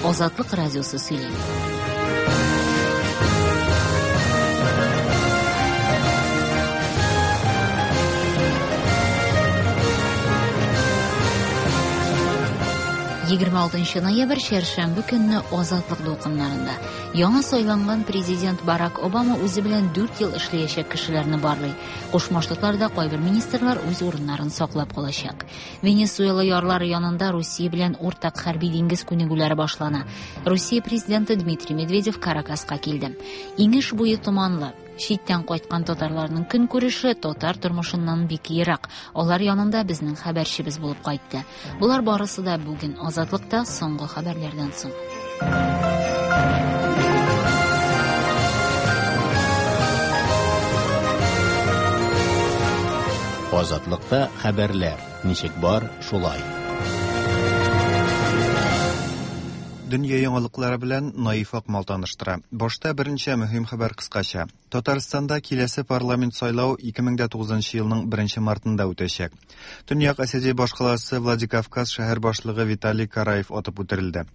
Азатлык радиосы сөйли. 26 ноябрь чәршәмбе көнне Азатлык дулкыннарында. Яңа сайланган президент Барак Обама үзе белән 4 ел эшләячәк кешеләрне барлый. Кушма Штатларда кайбер министрлар үз урыннарын саклап калачак. Венесуэла ярлары янында Русия белән уртак хәрби диңгез күнегүләре башлана. Русия президенты Дмитрий Медведев Каракаска килде. Иңеш буе томанлы. Читтән кайткан татарларның көнкүреше татар тормышыннан бик ерак. Алар янында безнең хәбәрчебез булып кайтты. Болар барысы да бүген Азатлыкта соңгы хәбәрләрдән соң. Азатлыкта хәбәрләр ничек бар, шулай. Дөнья яңалыклары белән Наиф Акмал таныштыра. Башта берничә мөһим хәбәр кыскача. Татарстанда киләсе парламент сайлау 2009 елның 1 мартында үтәчәк. Төньяк Осетия башкаласы Владикавказ шәһәр башлыгы Виталий Караев атып үтерелде.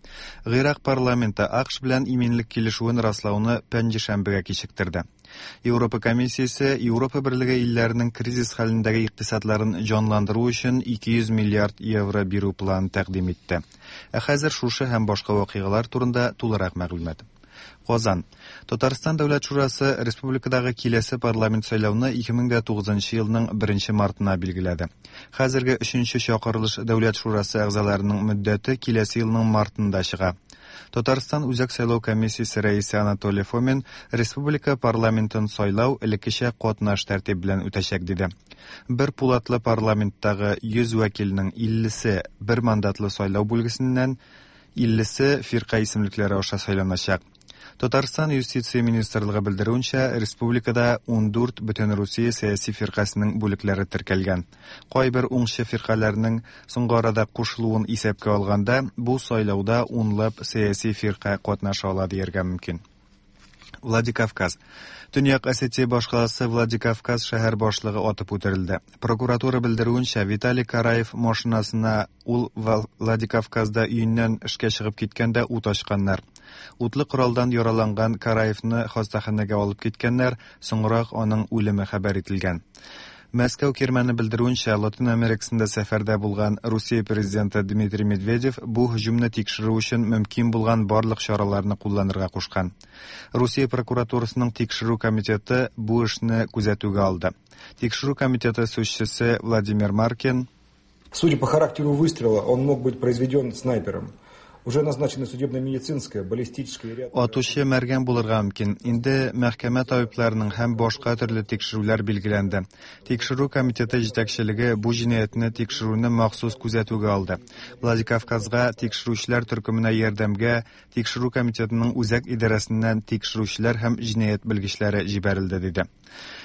Гыйрак парламенты АКШ белән иминлек килешүен раслауны пәнҗешәмбегә кичектерде. Европа комиссиясе Европа берлеге илләренең кризис хәлендәге икътисадларын җанландыру өчен 200 миллиард евро бирү планын тәкъдим итте. Ә хәзер шушы һәм башка вакыйгалар турында тулырак мәгълүмат. Казан. Татарстан Дәүләт шурасы республикадагы киләсе парламент сайлауны 2009 елның 1 мартына билгеләде. Хәзерге 3 чакырылыш Дәүләт шурасы әгъзаларының мөддәте киләсе елның мартында чыга. Татарстан Үзәк сайлау комиссиясе рәисе Анатолий Фомин республика парламентын сайлау элеккечә катнаш тәртип белән үтәчәк диде. Бер пулатлы парламенттагы 100 вәкилнең 50-се бер мандатлы сайлау бүлгесеннән, 50-се фирка исемлекләре аша сайланачак. Татарстан юстиция министрлыгы белдерүенчә, республикада 14 Бөтенрусия сәяси фиркасының бүлекләре теркәлгән. Кайбер уңчы фиркаләрнең соңгы арада кушылуын исәпкә алганда, бу сайлауда унлап сәяси фирка катнаша ала дияргә мөмкин. Владикавказ. Төньяк Осетия башкаласы Владикавказ шәһәр башлыгы атып үтерелде. Прокуратура белдерүенчә, Виталий Караев машинасына ул Владикавказда өеннән эшкә чыгып киткәндә ут ачканнар. Утлы коралдан яраланган Караевны хастаханәгә алып киткәннәр, соңрак аның үлеме хәбәр ителгән. Мәскәү кирмәне белдерүенчә, Латин Америкасында сәфәрдә булган Русия президенты Дмитрий Медведев бу һөҗүмне тикшерү өчен мөмкин булган барлык чараларны кулланырга кушкан. Русия прокуратурасының тикшерү комитеты бу эшне күзәтүгә алды. Тикшерү комитеты сүзчесе Владимир Маркин Судя по характеру выстрела, он мог быть произведен снайпером. Уже назначены судебно-медицинская, баллистическая ряд... Атучы мәргән булырга мөмкин. Инде мәхкәмә табибларының һәм башка төрле тикшерүләр билгеләнде. Тикшерү комитеты җитәкчелеге бу җинаятьне тикшерүне махсус күзәтүгә алды. Владикавказга тикшерүчеләр төркеменә ярдәмгә Тикшерү комитетының үзәк идарәсеннән тикшерүчеләр һәм җинаять белгечләре җибәрелде, диде.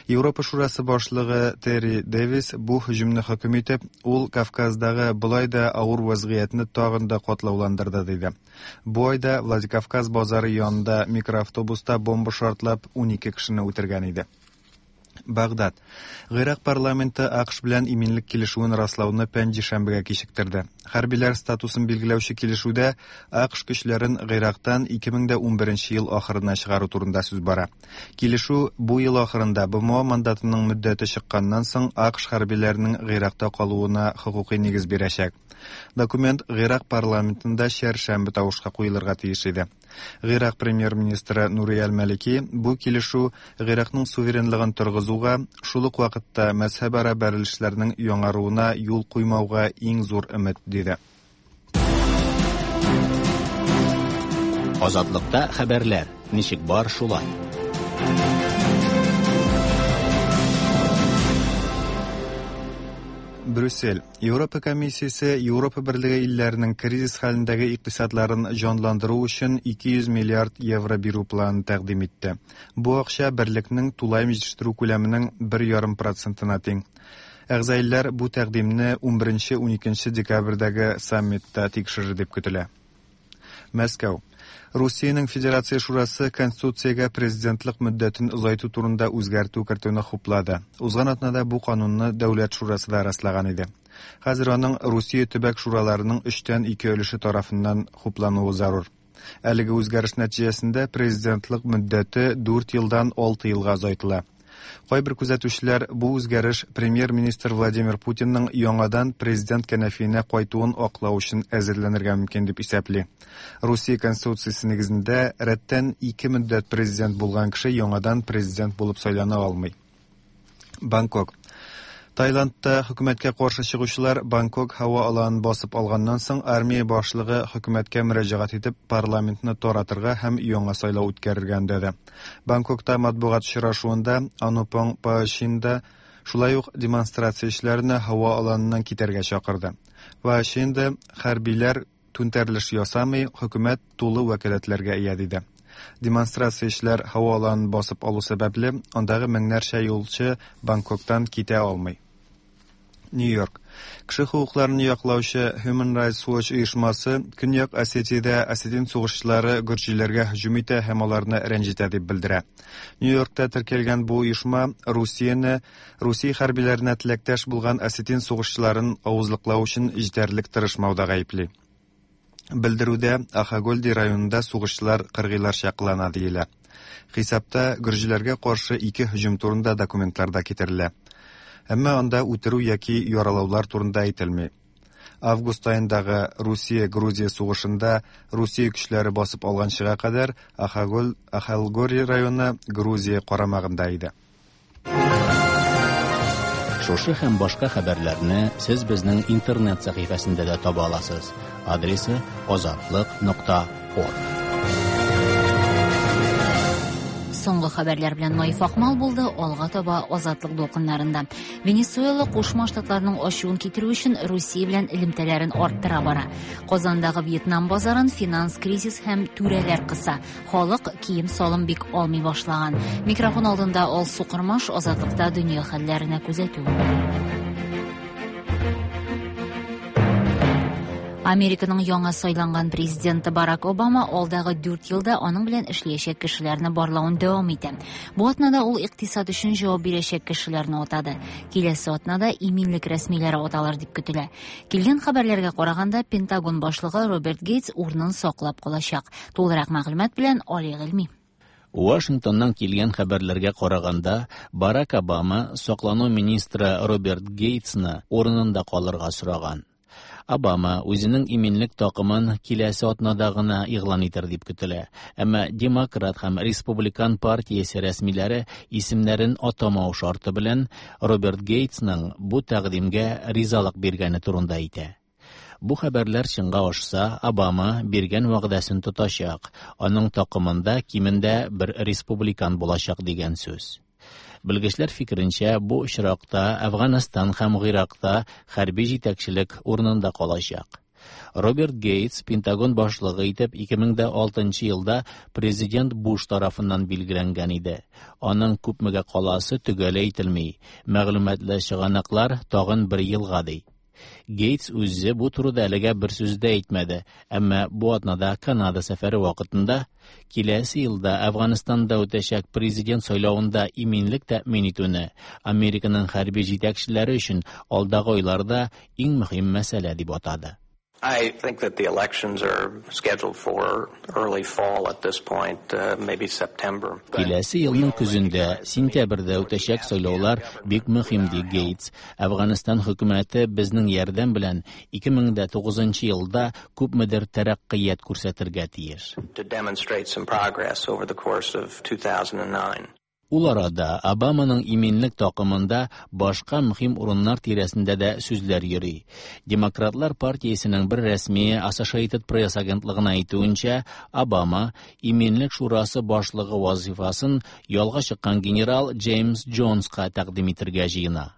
Европа Шурасы башлыгы Терри Дэвис бу һөҗүмне хөкем итеп, ул Кавказдагы болай да авыр вазгыятьне тагын да катлауландырды, диде. Бу айда Владикавказ базары янында микроавтобуста бомба шартлап 12 кешене үтергән иде. Багдад. Гыйрак парламенты АКШ белән иминлек килешүен раслауны пәнҗешәмбегә кичектерде. Хәрбиләр статусын билгеләүче килешүдә АКШ көчләрен Гыйрактан 2011 ел ахырына чыгару турында сүз бара. Килешү бу ел ахырында БМО мандатының мөддәте чыкканнан соң АКШ хәрбиләренең Гыйракта калуына хокукый нигез бирәчәк. Документ Гыйрак парламентында чәршәмбе тавышка куелырга тиеш иде. Гыйрак премьер-министры Нури әл-Малики бу килешү Гыйракның суверенлыгын торгызуга, шул ук вакытта мәзһәбара бәрелешләрнең яңаруына юл куймауга иң зур өмет, диде. Азатлыкта хәбәрләр ничек бар шулай. Брюссель. Европа комиссиясе Европа берлеге илләренең кризис хәлендәге икътисадларын җанландыру өчен 200 миллиард евро бирү планын тәкъдим итте. Бу акча берлекнең тулаем җитештерү күләменең 1,5 процентына тиң. Әгъза илләр бу тәкъдимне 11-12 декабрьдәге саммитта тикшерер дип көтелә. Мәскәү. Русиянең Федерация Шурасы Конституциягә президентлык мөддәтен озайту турында үзгәртү кертүне хуплады. Узган атнада бу канунны Дәүләт Шурасы да раслаган иде. Хәзер аның Русия төбәк шураларының өчтән ике өлеше тарафыннан хуплануы зарур. Әлеге үзгәреш нәтиҗәсендә президентлык мөддәте 4 елдан 6 елга озайтыла. Кайбер күзәтүчеләр бу үзгәреш премьер-министр Владимир Путинның яңадан президент кәнәфиенә кайтуын аклау өчен әзерләнергә мөмкин дип исәпли. Русия Конституциясе нигезендә рәттән ике мөддәт президент булган кеше яңадан президент булып сайлана алмый. Бангкок. Таиландта хөкүмәткә каршы чыгучылар Бангкок һава аланын басып алганнан соң армия башлыгы хөкүмәткә мөрәҗәгать итеп парламентны таратырга һәм яңа сайлау үткәрергә өндәде. Бангкокта матбугат очрашуында Анупong Паочинда шулай ук демонстрациячеләрне һава аланыннан китәргә чакырды. Паочинда хәрбиләр түнтәрелеш ясамый, хөкүмәт тулы вәкаләтләргә ия диде. Демонстрациячеләр һава аланын басып алу сәбәпле, андагы меңнәрчә юлчы Бангкоктан китә алмый. Нью-Йорк. Кеше хокукларын яклаучы Human Rights Watch оешмасы Көньяк Осетиядә осетин сугышчылары гөрҗиләргә һөҗүм итә һәм аларны рәнҗетә дип белдерә. Нью-Йоркта теркәлгән бу оешма Русияне Русия хәрбиләренә теләктәш булган осетин сугышчыларын авызлыклау өчен җитәрлек тырышмауда гаепли. Белдерүдә Ахагольди районында сугышчылар кыргыйларча кылана диелә. Хисапта гөрҗиләргә каршы ике һөҗүм турында документлар да китерелә. Әмма анда үтерү яки яралаулар турында әйтелми. Август аендагы Русия-Грузия сугышында Русия көчләре басып алганчыга кадәр Ахагол Ахалгори районы Грузия карамагында иде. Шушы һәм башка хәбәрләрне сез безнең интернет сәхифәсендә дә таба аласыз. Адресы azatliq.org. Соңгы хәбәрләр белән Наиф Акмал булды. Алга таба Азатлык дулкыннарында. Венесуэла Кушма Штатларының ачуын китерү өчен Русия белән элемтәләрен арттыра бара. Казандагы Вьетнам базарын финанс кризис һәм түрәләр кыса. Халык кием-салым бик алмый башлаган. Микрофон алдында Алсу Кырмаш, Азатлыкта дөнья хәлләренә күзәтү. Американың яңа сайланган президенты Барак Обама алдагы 4 елда аның белән эшләячәк кешеләрне барлавын дәвам итә. Бу атнада ул икътисад өчен җавап бирәчәк кешеләрне атады. Киләсе атнада иминлек рәсмиләре аталыр дип көтелә. Килгән хәбәрләргә караганда, Пентагон башлыгы Роберт Гейтс урынын саклап калачак. Тулырак мәгълүмат белән Али Гыйльми. Вашингтоннан килгән хәбәрләргә караганда, Барак Обама саклану министры Роберт Гейтсны урынында калырга сораган. Обама үзенең иминлек такымын киләсе атнада гына игълан итер дип көтелә. Әмма Демократ һәм Республикан партиясе рәсмиләре исемнәрен атамау шарты белән Роберт Гейтсның бу тәкъдимгә ризалык биргәне турында әйтә. Бу хәбәрләр чынга ашса, Обама биргән вәгъдәсен тотачак. Аның такымында кимендә бер республикан булачак дигән сүз. Белгечләр фикеренчә, бу очракта Әфганстан һәм Гыйракта хәрби җитәкчелек урынында калачак. Роберт Гейтс Пентагон башлыгы итеп 2006 елда президент Буш тарафыннан билгеләнгән иде. Аның күпмегә каласы төгәл әйтелми. Мәгълүматлы чыганаклар тагын бер елга ди. Гейтс үзе бу турыда әлегә бер сүз дә әйтмәде, әмма бу атнада Канада сәфәре вакытында киләсе елда Әфганстанда үтәчәк президент сайлавында иминлек тәэмин итүне Американың хәрби җитәкчеләре өчен алдагы айларда иң мөһим мәсьәлә дип атады. I think that the elections are scheduled for early fall at this point, maybe September. Киләсе елның көзендә, сентябрьдә үтәчәк сайлаулар бик мөһим, ди Гейтс. Әфганстан хөкүмәте безнең ярдәм белән 2009 елда күпмедер тәрәккыят күрсәтергә тиеш. To demonstrate some progress over the course of 2009. Ул арада Обаманың иминлек такымында башка мөһим урыннар тирәсендә дә сүзләр йөри. Демократлар партиясенең бер рәсмие Associated Press агентлыгына әйтүенчә, Обама иминлек шурасы башлыгы вазифасын ялга чыккан генерал Джеймс Джонска тәкъдим итергә җыена.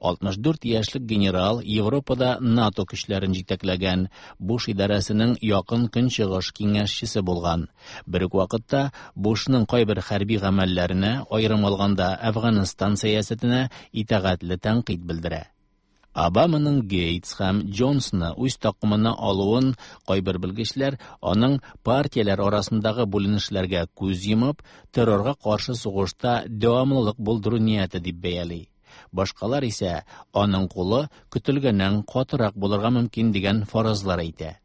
64 яшьлек генерал Европада НАТО көчләрен җитәкләгән, Буш идарәсенең якын көнчыгыш киңәшчесе булган. Бер үк вакытта Бушның кайбер хәрби гамәлләренә, аерым алганда Әфганстан сәясәтенә итагатьле тәнкыйть белдерә. Обаманың Гейтс һәм Джонсны үз такымына алуын кайбер белгечләр аның партияләр арасындагы бүленешләргә күз йомып, террорга каршы сугышта дәвамлылык булдыру нияте дип бәяли. Башкалар исә аның кулы көтелгәннән катырак булырга мөмкин дигән фаразлар әйтә.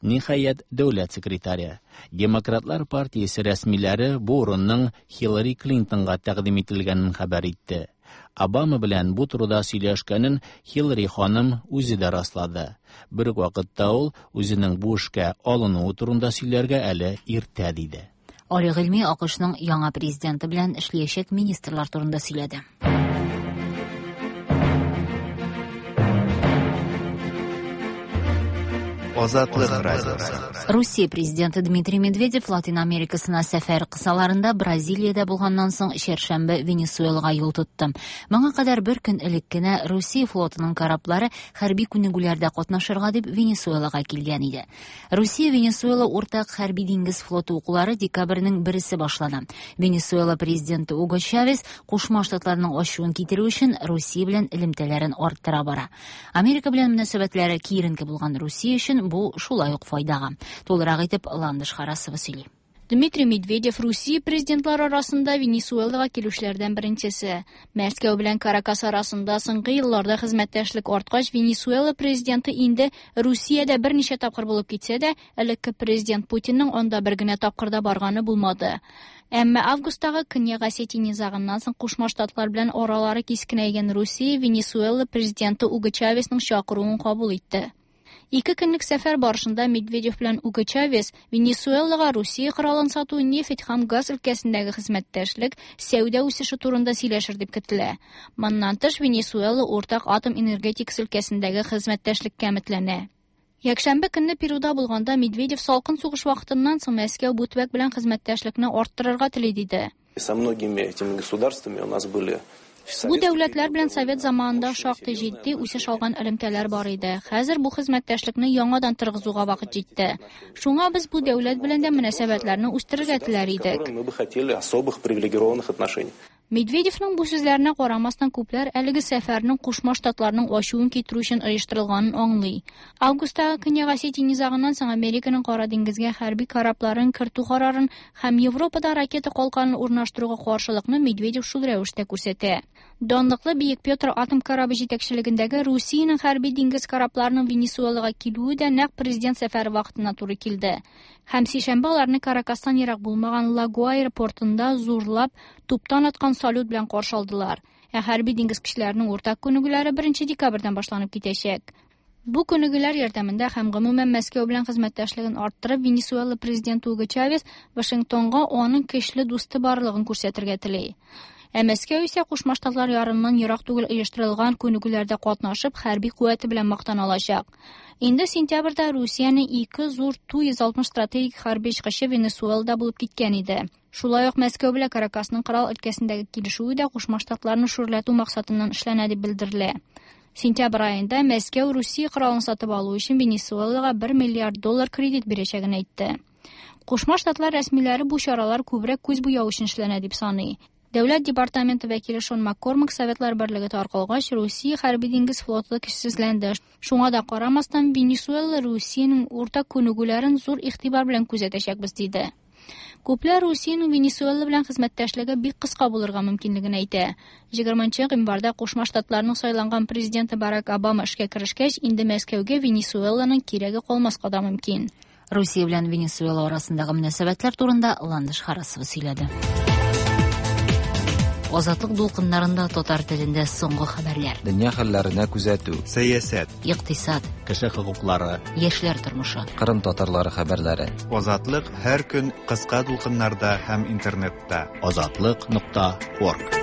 Ниһаять, дәүләт секретаре. Демократлар партиясе рәсмиләре бу урынның Хиллари Клинтонга тәкъдим ителгәнен хәбәр итте. Обама белән бу турыда сөйләшкәнен Хиллари ханым үзе дә раслады. Бер үк вакытта ул үзенең бу эшкә алынуы турында сөйләргә әле иртә диде. Али Гыйльми АКШның яңа президенты белән эшләячәк министрлар турында сөйләде. Азатлык радиосы. Русия президенты Дмитрий Медведев Латин Америкасына сәфәр кысаларында Бразилиядә булганнан соң чәршәмбе Венесуэлага юл тотты. Моңа кадәр бер көн элек кенә Русия флотының кораблары хәрби күнегүләрдә катнашырга дип Венесуэлага килгән иде. Русия Венесуэла уртак хәрби диңгез флоты укулары декабрьнең бересе башлана. Венесуэла президенты Уго Чавес Кушма Штатларның ачуын китерү өчен Русия белән элемтәләрен арттыра бара. Америка белән мөнәсәбәтләре киеренке булган Русия өчен бу шулай ук файдага. Тулырак итеп Ландыш Харасова сөйли. Дмитрий Медведев Русия президентлары арасында Венесуэлага килүчеләрдән беренчесе. Мәскәү белән Каракас арасында соңгы елларда хезмәттәшлек арткач, Венесуэла президенты инде Русиядә берничә тапкыр булып китсә дә, элекке президент Путинның анда бер генә тапкыр да барганы булмады. Әмма августтагы Көньяк Осетия низагыннан соң Кушма Штатлар белән аралары кискенәйгән Русия Венесуэла президенты Уго Чавесның чакыруын кабул итте. Ике көнлек сәфәр барышында Медведев белән Уго Чавес Венесуэлага Русия коралын сату, нефть һәм газ өлкәсендәге хезмәттәшлек, сәүдә үсеше турында сөйләшер дип көтелә. Моннан тыш, Венесуэла уртак атом энергетикасы өлкәсендәге хезмәттәшлеккә өметләнә. Якшәмбе көнне Перуда булганда Медведев салкын сугыш вакытыннан соң Мәскәү бу төбәк белән хезмәттәшлекне арттырырга тели диде. Со многими этими государствами у нас были Бу дәүләтләр белән совет заманында шактый җитди үсеш алган элемтәләр бар иде. Хәзер бу хезмәттәшлекне яңадан торгызуга вакыт җитте. Шуңа без бу дәүләт белән дә мөнәсәбәтләрне үстерергә теләр идек. Мы бы хотели особых привилегированных отношений. Медведевның бу сүзләренә карамастан, күпләр әлеге сәфәрнең Кушма Штатларның ачуын китерү өчен оештырылганын аңлый. Августтагы Көньяк Осетия низагыннан соң Американың Кара диңгезгә хәрби корабларын кертү карарын һәм Европада ракета калканын урнаштыруга каршылыкны Медведев шул рәвештә күрсәтә. Данлыклы Бөек Петр атом корабы җитәкчелегендәге Русиянең хәрби диңгез корабларының Венесуэлага килүе дә нәкъ президент сәфәре вакытына туры килде. Һәм сишәмбе аларны Каракастан ерак булмаган Ла-Гуайра портында зурлап туптан аткан салют белән каршы алдылар. Ә хәрби диңгез көчләренең уртак күнегүләре 1 декабрьдән башланып китәчәк. Бу күнегүләр ярдәмендә һәм гомумән Мәскәү белән хезмәттәшлеген арттырып, Венесуэла президенты Уго Чавес Вашингтонга аның көчле дусты барлыгын күрсәтергә тели. Ә Мәскәү исә Кушма Штатлар ярыннан ерак түгел оештырылган күнегүләрдә катнашып, хәрби куәте белән мактана алачак. Инде сентябрьдә Русиянең ике зур Ту-160 стратегик хәрби очкычы Венесуэлада булып киткән иде. Шулай ук Мәскәү белән Каракасның корал өлкәсендәге килешүе дә Кушма Штатларны шүрләтү максатыннан эшләнә дип белдерелә. Сентябрь аенда Мәскәү Русия коралын сатып алу өчен Венесуэлага 1 миллиард доллар кредит бирәчәген әйтте. Кушма Штатлар рәсмиләре бу чаралар күбрәк күз буяу өчен эшләнә дип саный. Дәүләт департаменты вәкиле Шон Маккормак Советлар Берлеге таркалгач, Русия хәрби диңгез флоты көчсезләнде. Шуңа да карамастан, Венесуэла Русиянең уртак күнегүләрен зур игътибар белән күзәтәчәкбез диде. Күпләр Русиянең Венесуэла белән хезмәттәшлеге бик кыска булырга мөмкинлеген әйтә. 20 гыйнварда Кушма Штатларның сайланган президенты Барак Обама эшкә керешкәч, инде Мәскәүгә Венесуэланың кирәге калмаска да мөмкин. Русия белән Венесуэла арасындагы мөнәсәбәтләр турында Ландыш Харасова сөйләде. Азатлык дулкыннарында татар телендә соңгы хәбәрләр. Дөнья хәлләренә күзәтү. Сәясәт. Икътисад. Кеше хокуклары. Яшьләр тормышы. Кырым татарлары хәбәрләре. Азатлык һәр көн кыска дулкыннарда һәм интернетта. Азатлык.орг.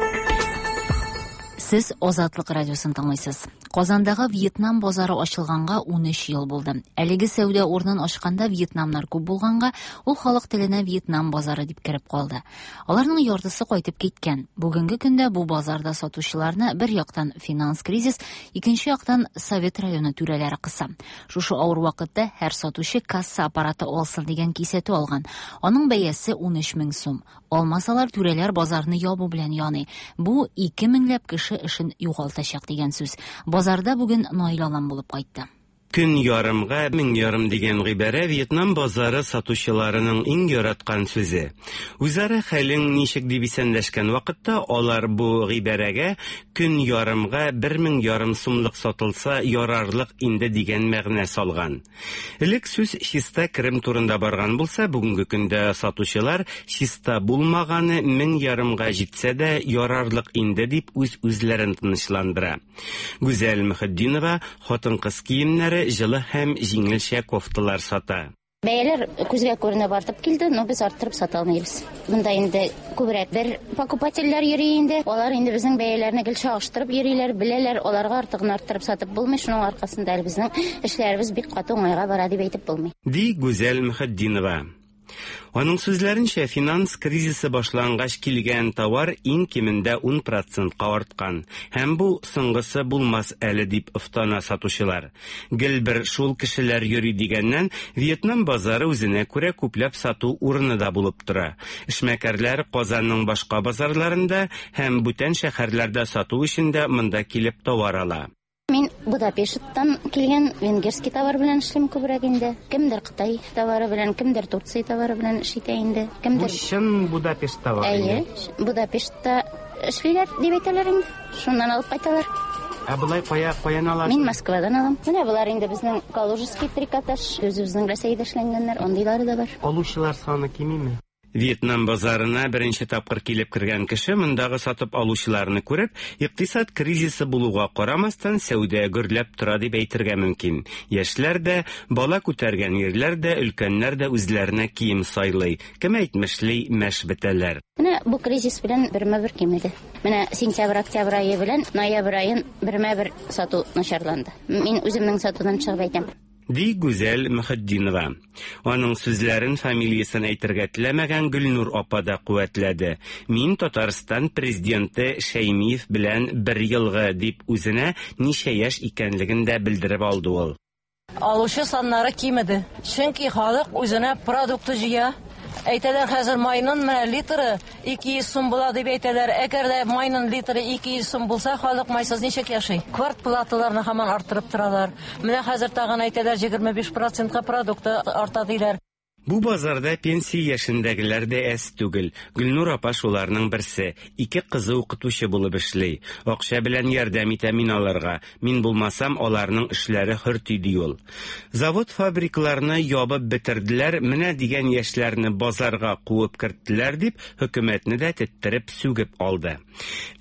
Сез Азатлык радиосын тыңлыйсыз. Казандагы Вьетнам базары ачылганга 13 ел булды. Әлеге сәүдә урынын ачканда вьетнамнар күп булганга, ул халык теленә Вьетнам базары дип кереп калды. Аларның яртысы кайтып киткән. Бүгенге көндә бу базарда сатучыларны бер яктан финанс кризис, икенче яктан Совет районы түрәләре кыса. Шушы авыр вакытта һәр сатучы касса аппараты алсын дигән кисәтү алган. Аның бәясе 13 мең сум. Алмасалар түрәләр базарны ябу белән яный. Бу 2 меңләп кеше эшен югалтачак дигән сүз. Базарда бүген Наил Алан булып кайтты. Көн ярымга 1500 дигән гыйбарә Вьетнам базары сатучыларының иң яраткан сүзе. Үзара хәлең ничек дип исәнләшкән вакытта алар бу гыйбарәгә көн ярымга 1500 сумлык сатылса ярарлык инде дигән мәгънә салган. Элек сүз чиста керем турында барган булса, бүгенге көндә сатучылар чиста булмаганы 1500-га җитсә дә ярарлык инде дип үз-үзләрен тынычландыра. Гүзәл Мөхетдинова хатын-кыз киемнәре, җылы һәм җиңелчә кофталар сата. Бәяләр күзгә күренеп артып килде, но без арттырып сата алмыйбыз. Монда инде күбрәк бер покупательләр йөри инде. Алар инде безнең бәяләрне гел чагыштырып йөриләр, беләләр, аларга артыгын арттырып сатып булмый. Шуның аркасында әле безнең эшләребез бик каты уңайга бара дип әйтеп булмый. Ди Гүзәл Мөхетдинова. Аның сүзләренчә, финанс кризисы башлангач килгән товар иң кимендә 10 процентка арткан. Һәм бу соңгысы булмас әле дип офтана сатучылар. Гел бер шул кешеләр йөри дигәннән, Вьетнам базары үзенә күрә күпләп сату урыны да булып тора. Эшмәкәрләр Казанның башка базарларында һәм бүтән шәһәрләрдә сату өчен дә монда килеп товар ала. Мин Будапешттан килгән венгерский товар белән эшлим күбрәк инде. Кемдер Кытай товары белән, кемдер Турция товары белән эш итә инде. Кемдер Бу чын Будапешт товары. Әйе, Будапештта эшлиләр дип әйтәләр инде. Шуннан алып кайталар. Ә болай кая каян аласыз? Мин Москвадан алам. Менә болар инде безнең Калужский трикотаж, үзебезнең Рәсәйдә эшләнгәннәр, андыйлары да бар. Алучылар саны кимиме? Вьетнам базарына беренче тапкыр килеп кергән кеше мондагы сатып алучыларны күреп, икътисад кризисы булуга карамастан, сәүдә гөрләп тора дип әйтергә мөмкин. Яшьләр дә, бала күтәргән ирләр дә, өлкәннәр дә үзләренә кием сайлый. Кем әйтмешли, мәш бетәләр. Менә бу кризис белән бермә-бер кимеде. Менә сентябрь-октябрь ае белән ноябрь аен бермә-бер сату начарланды. Мин үземнең сатудан чыгып әйтәм. Ди Гүзәл Мөхетдинова. Аның сүзләрен фамилиясен әйтергә теләмәгән Гөлнур апа да куәтләде. Мин Татарстан президенты Шәймиев белән бер елгы, дип үзенә ничә яшь икәнлеген дә белдереп алды ул. Алучы саннары кимеде. Чөнки халык үзенә продукты җыя. Әйтәләр, хәзер майның менә литры 200 сум була дип әйтәләр. Әгәр дә майның литры 200 сум булса, халык майсыз ничек яши? Квартплаталарны һаман арттырып торалар. Менә хәзер тагын әйтәләр, 25 процентка продукты арта диләр. Бу базарда пенсия яшендәгеләр дә әз түгел. Гөлнур апа шуларның берсе. Ике кызы укытучы булып эшли. Акча белән ярдәм итәм мин аларга. Мин булмасам, аларның эшләре хөрти, ди ул. Завод-фабрикаларны ябып бетерделәр, менә дигән яшьләрне базарга куып керттеләр дип, хөкүмәтне дә теттереп сүгеп алды.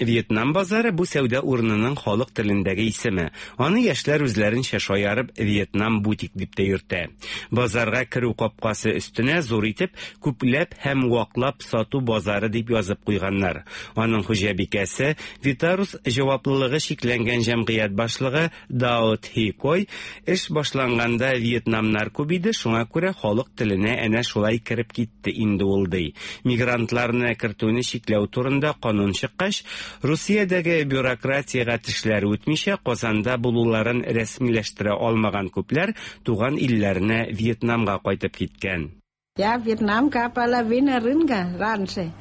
Вьетнам базары бу сәүдә урынының халык телендәге исеме. Аны яшьләр үзләренчә шаярып Вьетнам бутик дип тә йөртә. Базарга керү капкасы өстенә зур итеп күпләп һәм ваклап сату базары дип язып куйганнар. Аның хуҗабикәсе Витарус җаваплылыгы чикләнгән җәмгыять башлыгы Дао Тхи Кой эш башланганда вьетнамнар күп иде, шуңа күрә халык теленә әнә шулай кереп китте инде ул, ди. Мигрантларны кертүне чикләү турында канун чыккач, Русиядәге бюрократиягә тешләре үтмичә Казанда булуларын рәсмиләштерә алмаган күпләр туган илләренә Вьетнамга кайтып киткән. Я вьетнамка половина рынка раньше.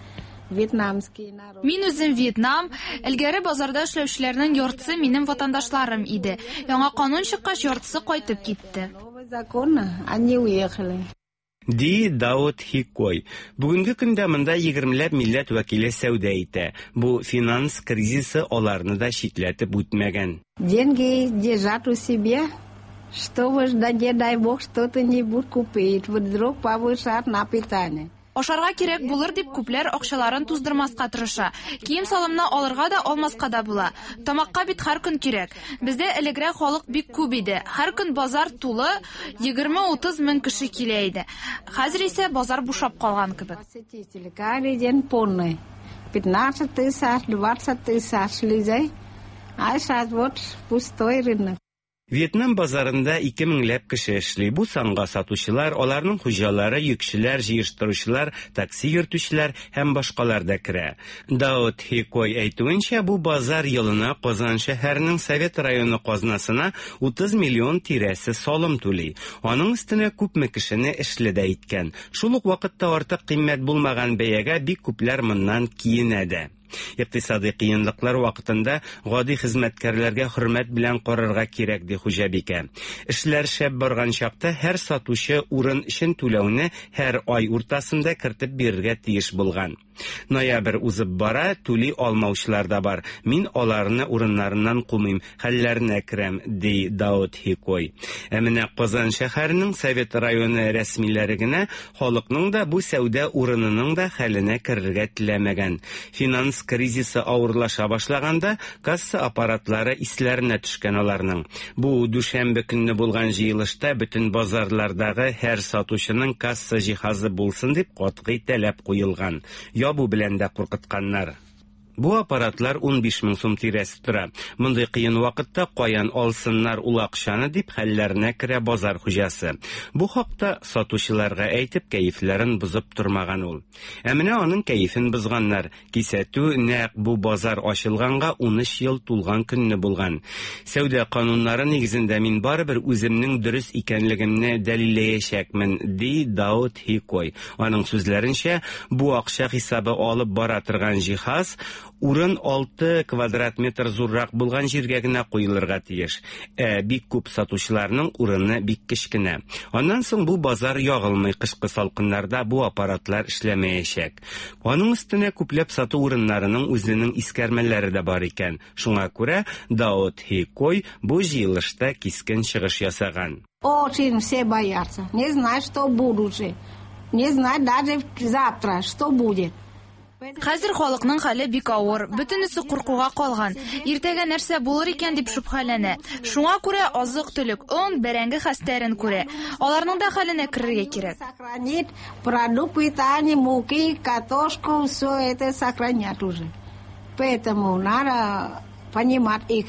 Вьетнамский народ. Мин үзем Вьетнам, элгәре базарда эшләүчеләрнең яртысы минем ватандашларым иде. Яңа канун чыккач, яртысы кайтып китте. Новый закон, они уехали. Ди Даут Хикой. Бүгенге көндә монда егермеләп милләт вәкиле сәүдә итә. Бу финанс кризисы аларны да читләтеп үтмәгән. Деньги держат у себя, чтобы, да не дай бог, что-то-нибудь купить, вдруг повышат на питание. Ашарга кирәк булыр дип күпләр акчаларын туздырмаска тырыша. Кием-салымны алырга да, алмаска да була. Тамакка бит һәр көн кирәк. Бездә элегрәк халык бик күп иде. Һәр көн базар тулы, 20-30 мең кеше килә иде. Хәзер исә базар бушап калган кебек. Посетители каждый день полный. 15 тысяч, 20 тысяч людей. А сейчас вот пустой рынок. Вьетнам базарында ике меңләп кеше эшли. Бу санга сатучылар, аларның хуҗалары, йөкчеләр, җыештыручылар, такси йөртүчеләр һәм башкалар да керә. Даут Хикой әйтүенчә, бу базар елына Казан шәһәренең Совет районы казнасына 30 миллион тирәсе салым түли. Аның өстенә күпме кешене эшле дә иткән. Шул ук вакытта артык кыйммәт булмаган бәягә бик күпләр моннан киенә дә. Икътисадый кыенлыклар вакытында гади хезмәткәрләргә хөрмәт белән карарга кирәк, ди хуҗабикә. Эшләр шәп барган чакта һәр сатучы урын өчен түләүне һәр ай уртасында кертеп бирергә тиеш булган. Ноябрь узып бара, түли алмаучылар да бар. Мин аларны урыннарыннан кумыйм, хәлләренә керәм, ди Даут Хикой. Ә менә Казан шәһәренең Совет районы рәсмиләре генә халыкның да, бу сәүдә урынының да хәленә керергә теләмәгән. Финанс кризисы авырлаша башлаганда, касса аппаратлары исләренә төшкән аларның. Бу дүшәмбе көнне булган җыелышта бөтен базарлардагы һәр сатучының касса җиһазы булсын дип катгый таләп куелган. Ябу белән дә куркытканнар. Бу аппаратлар 15 мең сум тирәсе тора. Мондый кыен вакытта каян алсыннар ул акчаны дип хәлләренә керә базар хуҗасы. Бу хакта сатучыларга әйтеп кәефләрен бозып тормаган ул. Ә менә аның кәефен бозганнар. Кисәтү нәкъ бу базар ачылганга 13 ел тулган көнне булган. Сәүдә кануннары нигезендә мин барыбер үземнең дөрес икәнлегемне дәлилләячәкмен, ди Даут Хикой. Аның сүзләренчә, бу акча хисабы алып бара торган җиһаз урын 6 квадрат метр зуррак булган җиргә генә куелырга тиеш. Ә бик күп сатучыларның урыны бик кечкенә. Аннан соң бу базар ягылмый, кышкы салкыннарда бу аппаратлар эшләмәячәк. Аның өстенә күпләп сату урыннарының үзенең искәрмәләре дә бар икән. Шуңа күрә Даут Хикой бу җыелышта кискен чыгыш ясаган. Очень все боятся. Не знают, что будущее. Не знают даже завтра, что будет. Хәзер халыкның хәле бик авыр, бөтенесе куркуга калган. Иртәгә нәрсә булыр икән дип шөбһәләнә. Шуңа күрә азык-төлек, он, бәрәңге хәстәрен күрә. Аларның да хәленә керергә кирәк. Сохранить продукт питания, муки, картошку, все это сохранять уже. Поэтому надо понимать их.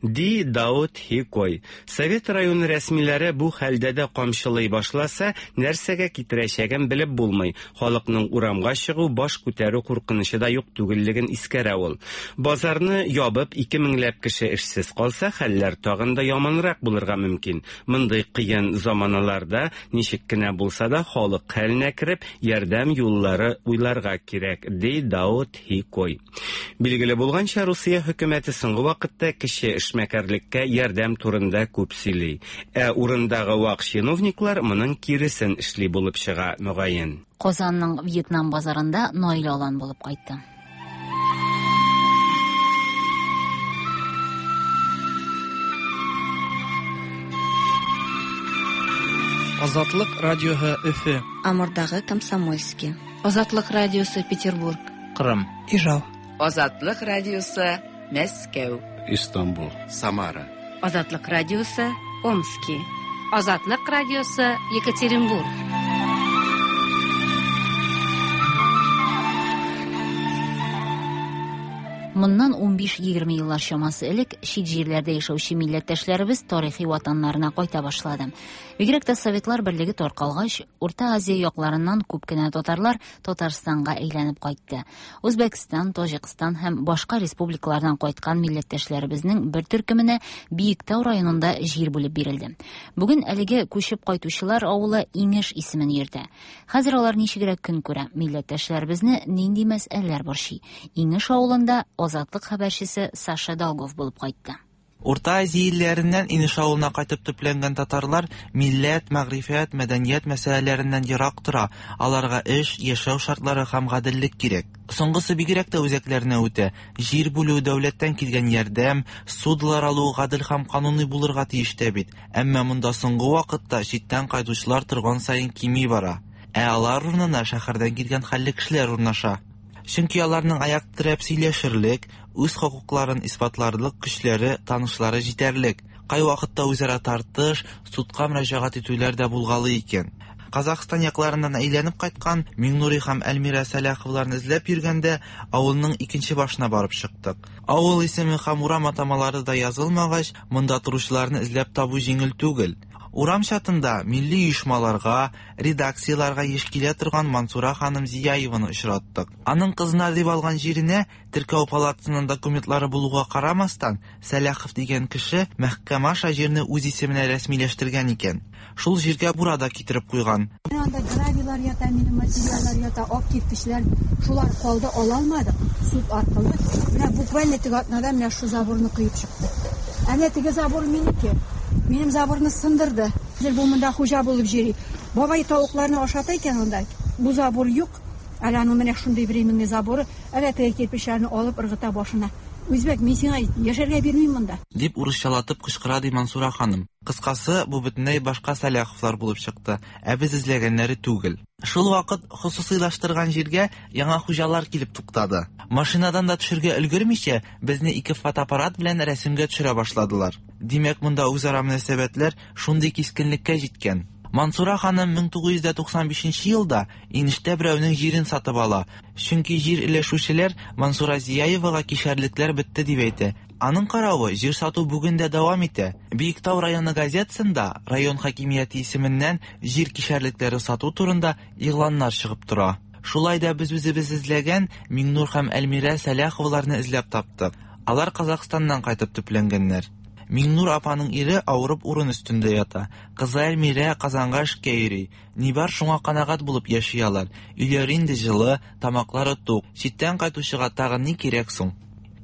Ди Даут Хикой. Совет районы рәсмиләре бу хәлдә дә камчылый башласа, нәрсәгә китерәчәген белеп булмый. Халыкның урамга чыгу, баш күтәрү куркынычы да юк түгеллеген искәрә ул. Базарны ябып, ике меңләп кеше эшсез калса, хәлләр тагын да яманрак булырга мөмкин. Мондый кыен заманаларда ничек кенә булса да халык хәленә кереп, ярдәм юллары уйларга кирәк, ди Даут Хикой. Билгеле булганча, Русия хөкүмәте соңгы вакытта кече эшмәкәрлеккә ярдәм турында күп сөйли. Ә урындагы вак чиновниклар моның киресен эшли булып чыга, мөгаен. Казанның Вьетнам базарында Наил Алан булып кайтты. Азатлык радиоһы Өфе. Амурдагы Комсомольский. Азатлык радиосы Петербург. Кырым. Ижау. Азатлык радиосы Мәскәү. Истанбул. Самара. Азатлык радиосы Омски. Азатлык радиосы Екатеринбург. Моннан 15-20 еллар чамасы элек чит җирләрдә яшәүче милләттәшләребез тарихи ватаннарына кайта башлады. Бигрәк тә Советлар берлеге таркалгач, Урта Азия якларыннан күп кенә татарлар Татарстанга әйләнеп кайтты. Үзбәкстан, Таҗикстан һәм башка республикалардан кайткан милләттәшләребезнең бер төркеменә Биектау районында җир бүлеп бирелде. Бүген әлеге күчеп кайтучылар авылы Иңеш исемен йөртә. Хәзер алар ничегрәк көн күрә? Милләттәшләребезне нинди мәсьәләләр борчый? Иңеш авылында Азатлык хәбәрчесе Саша Долгов булып кайтты. Урта Азия илләреннән Инеш авылына кайтып төпләнгән татарлар милләт, мәгърифәт, мәдәният мәсьәләләреннән ерак тора, аларга эш, яшәү шартлары һәм гаделлек кирәк. Соңгысы бигрәк тә үзәкләренә үтә. Җир бүлү, дәүләттән килгән ярдәм, ссудалар алу гадел һәм кануни булырга тиеш тә бит. Әмма монда соңгы вакытта читтән кайтучылар торган саен кими бара. Ә алар урынына шәһәрдән килгән хәлле кешеләр урнаша. Чөнки аларның аяк терәп сөйләшерлек, үз хокукларын исбатларлык көчләре, танышлары җитәрлек. Кайвакытта үзара тартыш, судка мөрәҗәгать итүләр дә булгалый икән. Казахстан якларыннан әйләнеп кайткан Миңнури һәм Әлмирә Сәлаховларны эзләп йөргәндә авылның икенче башына барып чыктык. Авыл исеме һәм урам атамалары да язылмагач, монда торучыларны эзләп табу җиңел түгел. Урам чатында милли оешмаларга, редакцияләргә еш килә торган Мансура ханым Зияеваны очраттык. Аның кызына дип алган җиренә теркәү палатасының документлары булуга карамастан, Сәлахов дигән кеше мәхкәмә аша җирне үз исеменә рәсмиләштергән икән. Шул җиргә бура да китереп куйган. Менә анда гравийлар ята, минем материаллар ята, ак кирпечләр. Шулар калды, ала алмадык суд аркылы. Менә буквально теге атнада менә шу заборны коеп чыкты. Ә менә теге забор минеке. Минем заборны сындырды. Хәзер бу монда хуҗа булып йөри. Бабай тавыкларны ашата икән анда. Бу забор юк. Әле аның менә шундый временный заборы. Әле теге кирпечләрне алып ыргыта башына. Үзбәк, мин сиңа яшәргә бирмим монда. Дип урысчалатып кычкыра ди Мансура ханым. Кыскасы, бу бөтенләй башка Сәлаховлар булып чыкты, ә без эзләгәннәре түгел. Шул вакыт хосусыйлаштырган җиргә яңа хуҗалар килеп туктады. Машинадан да төшергә өлгермичә, безне ике фотоаппарат белән рәсемгә төшерә башладылар. Димәк, монда үзара мөнәсәбәтләр шундый кискенлеккә җиткән. Мансура ханым 1995 елда Инештә берәүнең җирен сатып ала. Чөнки җир өләшүчеләр Мансура Зияевага кишәрлекләр бетте дип әйтә. Аның каравы, җир сату бүген дә дәвам итә. Биектау районы газетасында район хакимияте исеменнән җир кишәрлекләре сату турында игъланнар чыгып тора. Шулай да без үзебез эзләгән Миңнур һәм Әлмирә Сәлаховаларны эзләп таптык. Алар Казахстаннан кайтып төпләнгәннәр. Миңнур апаның ире авырып урын өстендә ята. Кызы Әлмирә Казанга эшкә йөри. Ни бар шуңа канәгать булып яши алар. Өйләре инде җылы, тамаклары тук. Читтән кайтучыга тагын ни кирәк соң?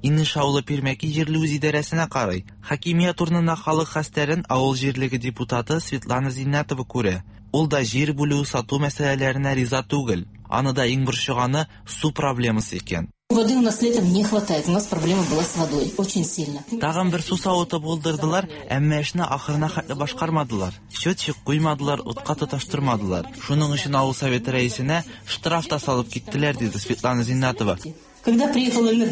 Инеш авылы Пирмәки җирле үзидарәсенә карый. Хакимият урынына халык хәстәрен авыл җирлеге депутаты Светлана Зиннәтова күрә. Ул да җир бүлү, сату мәсьәләләренә риза түгел. Аны да иң борчыганы су проблемасы икән. Воды у нас летом не хватает. У нас проблема была с водой. Очень сильно. Тагын бер су савыты булдырдылар, әмма эшне ахырына хәтле башкармадылар. Счетчик куймадылар, утка тоташтырмадылар. Шуның өчен авыл советы рәисенә штраф та салып киттеләр, диде Светлана Зиннатова. Когда приехал Эльнар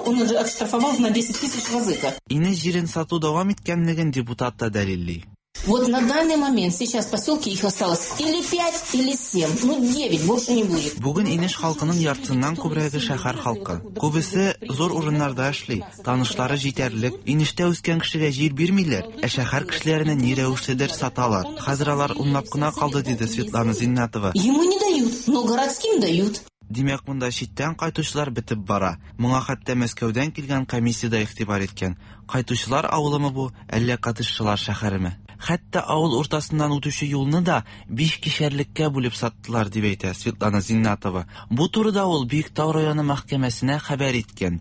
он уже отштрафовал на 10 тысяч вазыка. Инеш җирен сату дәвам иткәнлеген депутат та дәлилли. Вот на данный момент сейчас в поселке их осталось или 5, или 7, ну 9, больше не будет. Бүген Инеш халкының яртысыннан күбрәге шәһәр халкы. Күбесе зур урыннарда эшли, танышлары җитәрлек. Инештә үскән кешегә җир бирмиләр, ә шәһәр кешеләренә ни рәвешледер саталар. Хәзер алар унлап кына калды, диде Светлана Зиннатова. Ему не дают, но городским дают. Димәк, монда читтән кайтучылар бетеп бара. Моңа хәтта Мәскәүдән килгән комиссия дә игътибар иткән. Кайтучылар авылымы бу, әллә катышчылар шәһәреме? Хәтта авыл уртасыннан үтүче юлны да биш кишәрлеккә бүлеп саттылар, дип әйтә Светлана Зиннатова. Бу турыда ул Биектау районы мәхкәмәсенә хәбәр иткән.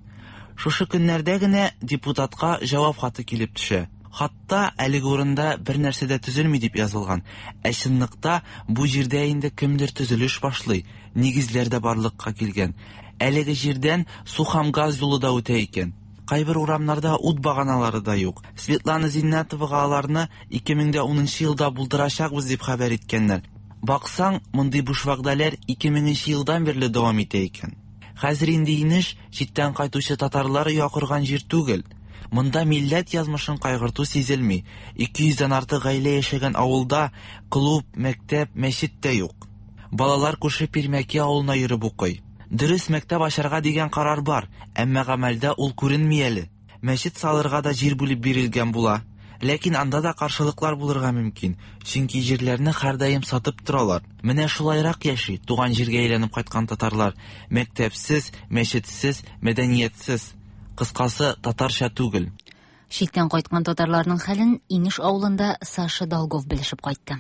Шушы көннәрдә генә депутатка җавап хаты килеп төшә. Хатта әлеге урында бер нәрсә дә төзелми дип язылган. Ә чынлыкта бу җирдә инде кемдер төзелеш башлый, нигезләр дә барлыкка килгән. Әлеге җирдән су һәм газ юлы да үтә икән. Кайбер урамнарда ут баганалары да юк. Светлана Зиннәтовага аларны 2010 елда булдырачакбыз дип хәбәр иткәннәр. Баксаң, мондый буш вәгъдәләр 2000 елдан бирле дәвам итә икән. Хәзер инде инеш читтән кайтучы татарлар оя корган җир түгел. Монда милләт язмышын кайгырту сизелми. 200 дән артык гаилә яшәгән авылда клуб, мәктәп, мәчет тә юк. Балалар күрше Пирмәки авылына йөреп укый. Дөрес, мәктәп ачарга дигән карар бар, әмма гамәлдә ул күренми әле. Мәчет салырга да җир бүлеп бирелгән була. Ләкин анда да каршылыклар булырга мөмкин, чөнки җирләрне һәрдаим сатып торалар. Менә шулайрак яши туган җиргә әйләнеп кайткан татарлар. Мәктәпсез, мәчетсез, мәдәниятсез. Кыскасы, татарча түгел. Читтән кайткан татарларның хәлен Инеш авылында Саша Долгов белешеп кайтты.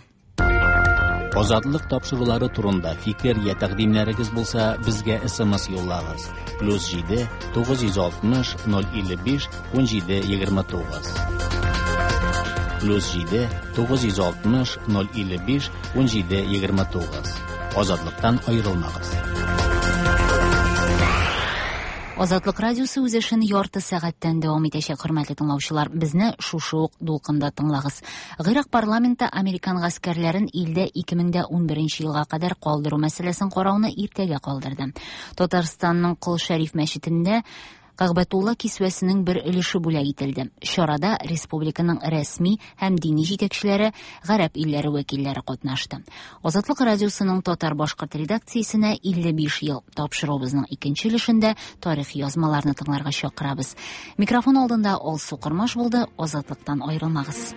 Азатлык тапшырулары турында фикер я тәкъдимнәрегез булса, безгә SMS юллагыз. Плюс 7 960 055 17 29. Плюс 7 960 055 17 29. Азатлыктан аерылмагыз. Азатлык радиосы үз эшен ярты сәгатьтән дәвам итәчәк, хөрмәтле тыңлаучылар. Безне шушы ук дулкында тыңлагыз. Гыйрак парламенты американ гаскәрләрен илдә 2011 елга кадәр калдыру мәсьәләсен карауны иртәгә калдырды. Татарстанның Кол Шәриф мәчетендә Кәгъбәтулла кисвәсенең бер өлеше бүләк ителде. Чарада республиканың рәсми һәм дини җитәкчеләре, гарәп илләре вәкилләре катнашты. Азатлык радиосының татар-башкорт редакциясенә 55 ел. Тапшыруыбызның икенче өлешендә тарихи язмаларны тыңларга чакырабыз. Микрофон алдында Алсу Кормаш булды. Азатлыктан аерылмагыз.